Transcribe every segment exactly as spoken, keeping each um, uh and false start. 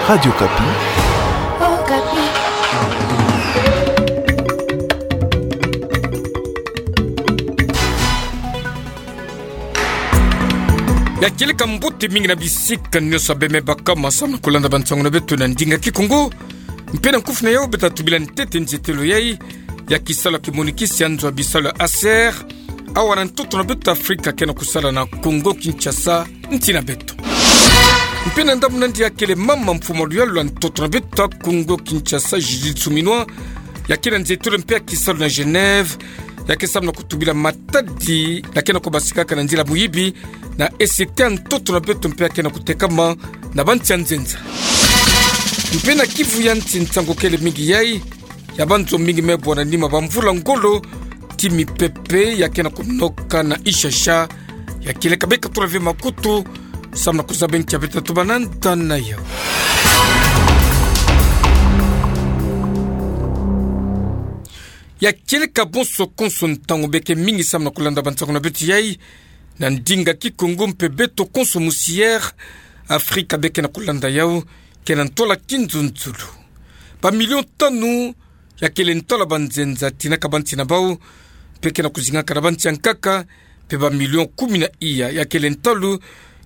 Radio Okapi. Okapi. Ya kieleka mbote mingi na bisika nyonso beme baka masamu na kulanda bansango na beto na ndinga Kikongo. Mpe na nkufi na yau beta tubila ntete nzietelo yai ya kisalu ya kimonikisi ya nzo ya bisalu ya ACER, awa na ntoto na beto Afrika ke na kusala na Congo Kinshasa, nsi na beto. Mpe na ndambu na ndia kele mama mfumu wa luyalu ya ntoto na beto Congo Kinshasa, Judith Suminwa, ya ke na nzietelo mpe ya kisalu na Genève, ya ke samu na kutubila matadi ya ke na kubasikaka na nzila muyibi na E C T ya ntoto na beto mpe ya ke na kutekama na bansi ya nzenza. Mpe na Kivu ya nsi nsangu kele mingi yai, ya banzo mingi me bwana nima bamvula ngolo, ti mipepe ya ke na kunoka na Ishasha, ya kieleka beka tula ve makutu, samu na kuzaba nkia beta tubana nda na yau. Ya kieleka bonso konso ntangu beke mingi samu na kulanda bansango na beto yai, na ndinga Kikongo mpe beto konso musi air, Afrika beke na kulanda yau, ke na ntwala kinzunzulu. Ba million tanu, ya kele ntwala banzenza tinaka bansi na bau, mpe ke na kuzingaka na bansi ya nkaka, mpe ba million kumi na iya, ya kele ntwala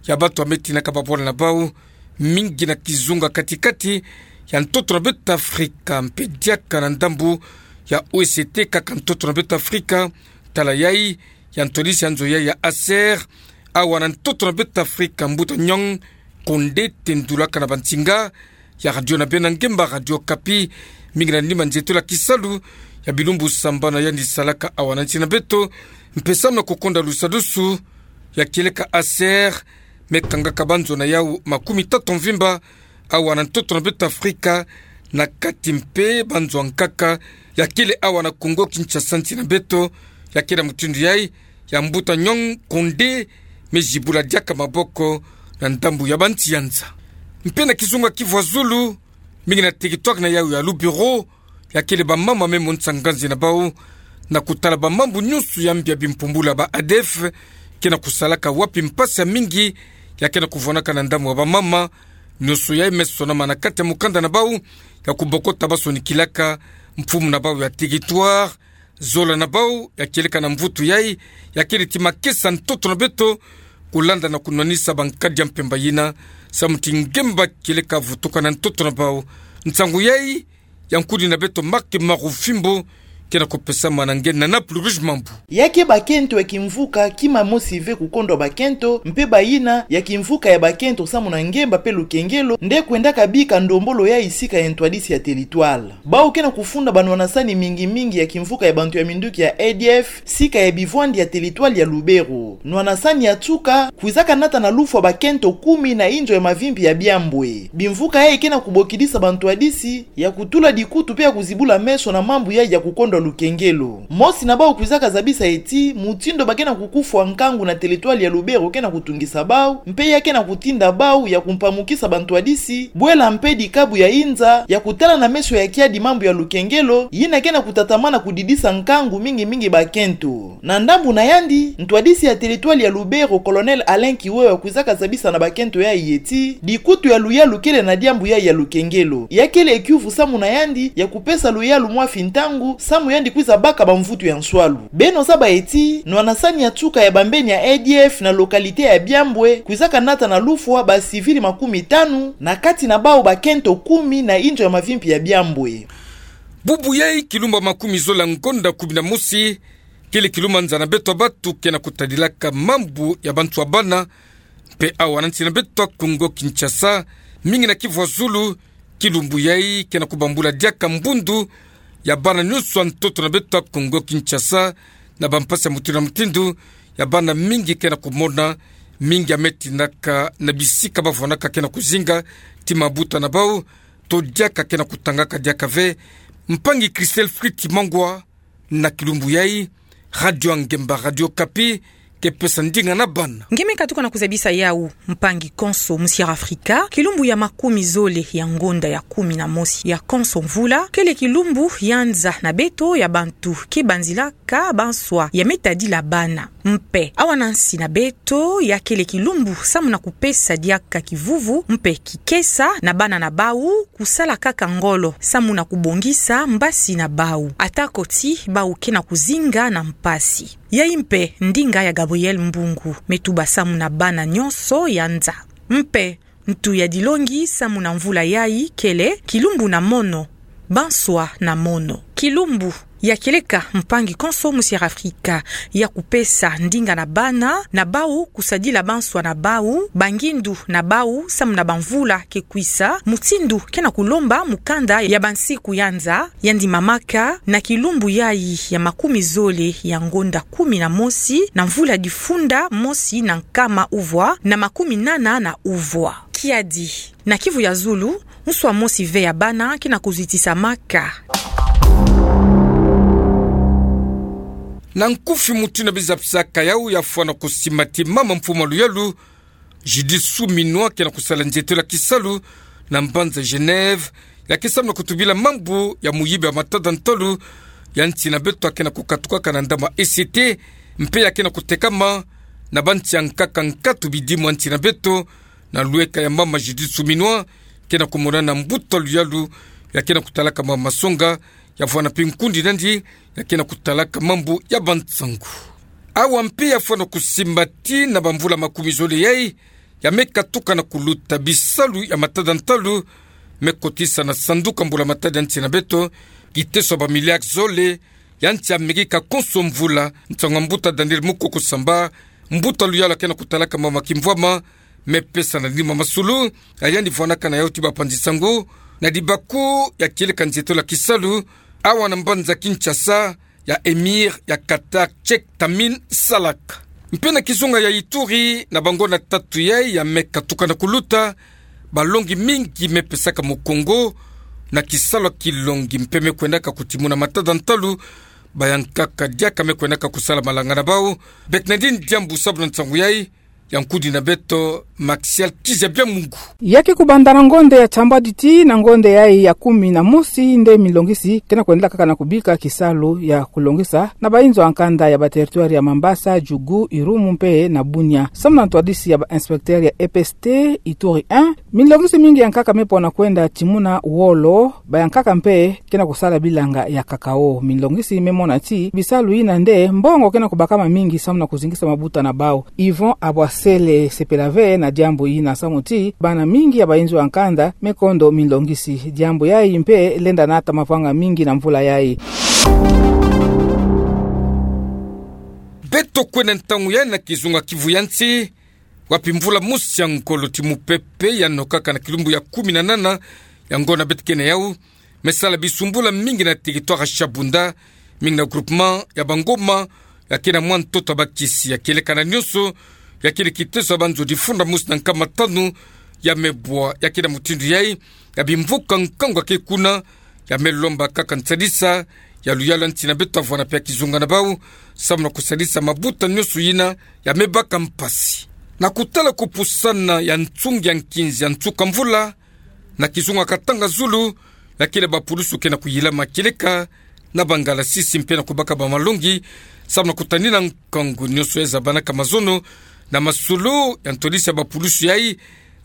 ya bantu ya me tinaka babwala na bau, mingi na kizunga katikati ya ntoto na beto Afrika, mpe diaka na ndambu ya O E C T kaka ntoto na beto Afrika, tala yai, ya ntwadisi ya nzo yai ya ACER, awa na ntoto na beto Afrika, mbuta Nyong Konde tendulaka na bansinga ya radio na beno ya ngemba Radio Okapi, mingi na nima nzietelo ya kisalu ya bilumbu sambanu ya yandi salaka awa na nsi na beto, mpe samu na kukonda lusadusu ya kieleka ACER, me kangaka banzo na yau makumi tatu mvimba, awa na ntoto na beto Afrika, na kati mpe banzo ya nkaka, ya kele awa na Congo Kinshasa nsi na beto, ya ke na mutindu yai, ya mbuta Nyong Konde, me zibula diaka maboko na ndambu ya bansi ya nza. Mpe na kizunga Kivu ya zulu, mingi na territoire na yau ya Lubero, ya kele bamama me monisa nganzi na bau, na kutala bamambu nyonso ya mbi ya bimpumbulu ya ba A D F ke na kusalaka, wapi mpasi ya mingi ya ke na kuvwanaka na ndambu ya bamama, nyonso yai me sonama na kati ya mukanda na bau ya kubokota basonikilaka mfumu na bau ya territoire, zola na bau ya kieleka na mvutu yai, ya kele ti makesa ntoto na beto, kulanda na kunwanisa bankadi ya mpemba yina, samu ti ngemba kieleka vutuka na ntoto na bau. Nsangu yai, ya nkudi na beto Marc Marufimbo, ke na kupesama na nge na Nana Plurish Mambu. Ya ke bakento ya kimvuka kima mosi ve kukondwa bakento, mpe bayina ya kimvuka ya bakento samu na ngemba mpe lukengelo, nde kwendaka bika ndombolo yai sika ya ntwadisi ya territoire. Bau ke na kufunda banwanasani mingi mingi ya kimvuka ya bantu ya minduki ya A D F, sika ya bivwandi ya territoire ya Lubero. Nwanasani ya nsuka, kwizaka nata na lufwa bakento kumi na inzo ya mavimpi ya Biambwe. Bimvuka yai ke na kubokidisa bantwadisi ya kutula dikutu mpe ya kuzibula meso na mambu yai ya kukondwa lukengelo. Mosi na bau kwizaka zabisa ti, mutindu ba ke na kukufwa nkangu na territoire ya Lubero ke na kutungisa bau, mpe ya ke na kutinda bau ya kumpamukisa bantwadisi, bwela mpe dikabu ya inza, ya kutala na meso ya kiadi mambu ya lukengelo, yina ke na kutatamana kudidisa nkangu mingi mingi bakento. Na ndambu na yandi, ntwadisi ya territoire ya Lubero, Colonel Alain Kiwewa kwizaka zabisa na bakento yai ti, dikutu ya luyalu kele na diambu yai ya lukengelo. Ya kele kiuvu samu na yandi, ya kupesa luyalu mwa fini ntangu, samu yandi kwiza baka bamvutu ya nswalu. Beno zaba ti, nwanasani ya nsuka ya bambeni ya A D F na localité ya Biambwe, kwizaka nata na lufwa ba civil makumi tanu, na kati na bau bakento kumi na inzo ya mavimpi ya Biambwe. Bubu yai kilumbu makumi zola ngonda kumi na mosi, kele kilumbu nza na beto bantu ke na kutadilaka mambu ya bantu ya bana, mpe awa na nsi na beto Congo Kinshasa, mingi na Kivu ya zulu, kilumbu yai ke na kubambula diaka mbundu ya bana nyonso ya ntoto na beto Congo Kinshasa, na bampasi ya mutindu na mutindu, ya bana mingi ke na kumona, mingi ya me tinaka na bisika bavwanaka ke na kuzinga ti mabuta na bau, to diaka ke na kutangaka diaka ve. Mpangi Christelle Fritz Mangwa, na kilumbu yai, Radio ya ngemba Radio Okapi ke pesa ndinga na bana. Nge me katuka na kuzabisa yawu, mpangi konso musi Afrika, kilumbu ya makumi zole ya ngonda ya kumi na mosi ya konso mvula, kele kilumbu ya nza na beto ya bantu ke banzilaka banswa ya me tadila bana. Mpe awa na nsi na beto, ya kele kilumbu samu na kupesa diaka kivuvu mpe kikesa na bana na bawu, kusala kaka ngolo samu na kubongisa mbasi na bawu, atako ti bawu ke na kuzinga na mpasi. Yayi mpe ndinga ya Gabriel Mbungu, me tuba samu na bana nyonso ya nza. Mpe ntu ya dilongi samu na mvula yayi kele kilumbu na mono, banswa na mono. Kilumbu ya kieleka mpangi konso musi Afrika ya kupesa ndinga na bana na bawu, kusadila banswa na bawu, bangindu na bawu samu na bamvula ke kwisa, mutindu ke na kulomba mukanda ya bansiku ya nza, yandi mamaka na kilumbu yayi ya makumi zole ya ngonda kumi na mosi na mvula difunda mosi na nkama uvwa na makumi nana na uvwa. Kiadi, na Kivu ya Zulu, nswa mosi ve ya bana ke na kuzitisamaka. Na nkufi, mutindu na bizapisaka yawu, ya fwana kusimbati mama mfumu a luyalu, Judith Suminwa, ke na kusala nzietelo ya kisalu na mbanza Genève, ya ke samu na kutubila mambu ya muyibi ya matada ntalu ya nsi na beto, ya ke na kukatukaka na ndambu ya E C T, mpe ya ke na kutekama na bansi ya nkaka nkatu bidimu ya nsi na beto, na lweka ya mama Judith Suminwa, ke na kumonana na mbuta luyalu ya ke na kutalaka mama masonga, ya fwana mpe nkundi nandi ya ke na kutalaka mambu ya bansangu. Awa mpe ya fwana kusimbati na bamvula makumi zole yayi ya me katuka na kuluta, bisalu ya matada ntalu me kotisa na sanduku ya mbula matadi ya nsi na beto kiteso ya bamiliare zole ya nsi ya Amerika konso mvula. Nsangu ya mbuta Daniel Mukoko Samba, mbuta luyalu ya ke na kutalaka mama kimvwama, me pesa na nima masolo ya yandi fwanaka na yawu ti bapanzi sango na dibaku ya kieleka nzietelo ya kisalu, awa na mbanza Kinshasa, ya Emir ya Qatar, Cheikh Tamim Salak. Mpe na kizunga ya Ituri, na bangonda tatu yayi ya me katuka na kuluta, balongi mingi me pesaka mukongo na kisalu ya kilongi, mpe me kwendaka kutimuna matada ntalu bayankaka diaka me kwendaka kusala malanga na bawu. Bernardine Diambu, sabu na nsangu yayi, ya nkundi na beto Maxiel Kizabia Mungu. Ya ke kubanda na ngonda ya sambadi tii na ngonda yayi ya kumi na mosi nde milongisi ke na kwendela kaka na kubika kisalu ya kulongisa na bayinzo ya nkanda ya bateritware ya Mambasa, Djugu, Irumu mpe na Bunia. Samu na ntwadisi ya ba inspecteur ya E P S T Ituri un, milongisi mingi ya nkaka me pona kwenda timuna wolo, bayankaka mpe ke na kusala bilanga ya cacao. Milongisi me mona ti bisalu yina nde mbongo ke na kubakama mingi samu na kuzingisa mabuta na bawu. Yvon Abwasele sepela ve na diambu yina samu ti bana mingi ya bayinzo ya nkanda me kondo milongisi. Diambu yayi mpe lenda nata mavanga mingi na mvula yayi. Beto kwenda ntangu yayi na kizunga Kivu ya nsi, wapi mvula mosi ya ngolo ti mupepe ya nokaka na kilumbu ya kumi na nana ya ngonda beto ke na yawu, me sala bisumbula mingi na territoire ya Shabunda, mingi na groupement ya Bangoma, ya ke na mwa ntoto ya bakisi, ya kieleka na nyonso, ya ke na kiteso ya banzo difunda mosi na nkama tanu ya me bwa. Ya ke na mutindu yayi ya bimvuka nkangu ya ke kuna, ya me lomba kaka nsadisa ya luyalu ya nsi na beto, avwanda mpe ya kizunga na bawu, samu na kusadisa mabuta nyonso yina ya me baka mpasi. Na kutala kupusana ya nsungi ya nkinzi ya nsuka mvula, na kizunga Katanga Zulu, ya ke na bapulusu ke na kuyilama kieleka na bangalasisi mpe na kubaka bamalongi, samu na kutanina nkangu nyonso ya zabanaka mazono na masolo ya ntwadisi ya bapulusu yayi,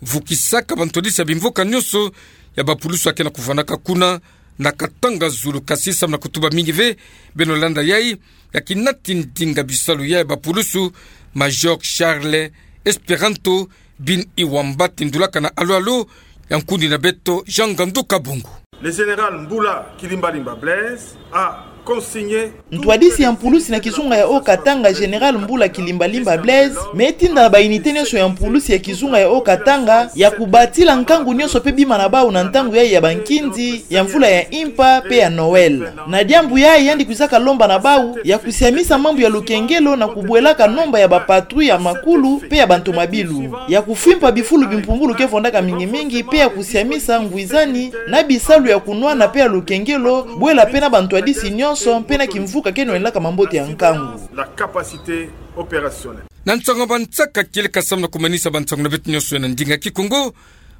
vukisaka bantwadisi ya bimvuka nyonso ya bapulusu ya ke na kuvwandaka kuna na Katanga Zulu. Kasi samu na kutuba mingi ve, beno landa yayi, ya kinati ndinga bisalu ya bapulusu, Major Charles Esperanto Bin Iwamba, tindulaka na alo-alo ya nkundi na beto Jean Ngandu Kabongo. Le général Mbula Kilimbalimba Blaise a consigné. Ntwadisi ya mpulusi na kizunga ya Haut-Katanga, Général Mbula Kilimbalimba Blaise, me tinda na ba unité nyonso ya mpulusi ya kizunga ya Haut-Katanga ya kubatila nkangu nyonso mpe bima na bawu na ntangu yayi ya bankinzi ya mvula ya mpa mpe ya Noël. Na diambu yayi, yandi kwizaka lomba na bawu ya kusiamisa mambu ya lukengelo na kubwelaka nomba ya bapatrouille ya makulu mpe ya bantomabilu, ya kufimpa bifulu bimpumbulu ke vwandaka mingi mingi, mpe ya kusiamisa ngwizani na bisalu ya kunwana mpe ya lukengelo, bwela mpe na bantwadisi nyonso mpe na kimvuka ke nwelaka mambote ya nkangu. La capacité opérationnel. Na nsangu ya bansaka kieleka samu na kumanisa bansangu na beto nyonso na ndinga Kikongo,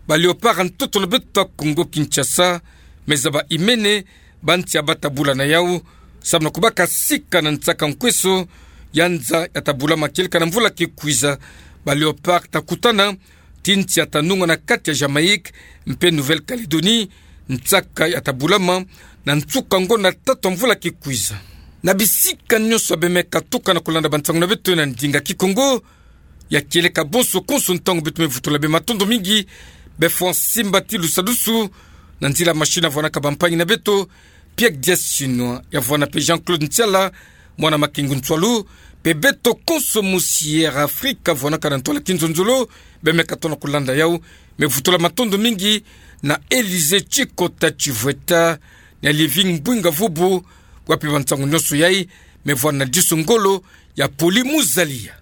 ba Léopards ya ntoto na beto ya Kongo-Kinshasa, meza ba Imene, ba nsi ya bata bula na yau, samu na kubaka sika na nsaka nkweso ya nza ya ta bulama kieleka na mvula ki kwiza. Ba Léopards ta kutana ti nsi ya ta nunga na kati ya Jamaïque mpe Nouvelle-Calédonie, nsaka ya ta bulama na nsuka ngonda tatu ya mvula ki kwiza. Na bisika nyonso bemeka tuka na kulanda bansangu na beto na ndinga Kikongo, ya kieleka bonso konso ntangu beto me vutula bê matondo mingi. Bê fwa simba ti lusadusu, na nzila machine ya vwanaka bampangi na beto, Pierre Dias Chinois, ya vwana mpe Jean-Claude Ntiala, mwana Makengu Nsualu, mpe beto konso mosi Air Afrique ya vwanaka na ntwala kinzonzolo, bemeka tona kulanda yau, me vutula matondo mingi na Élysée Tchikota Tchivweta, na Living Bwinga Vubu, wapi bansangu nyonso yai me vwana na diso ngolo ya Poli Muzalia.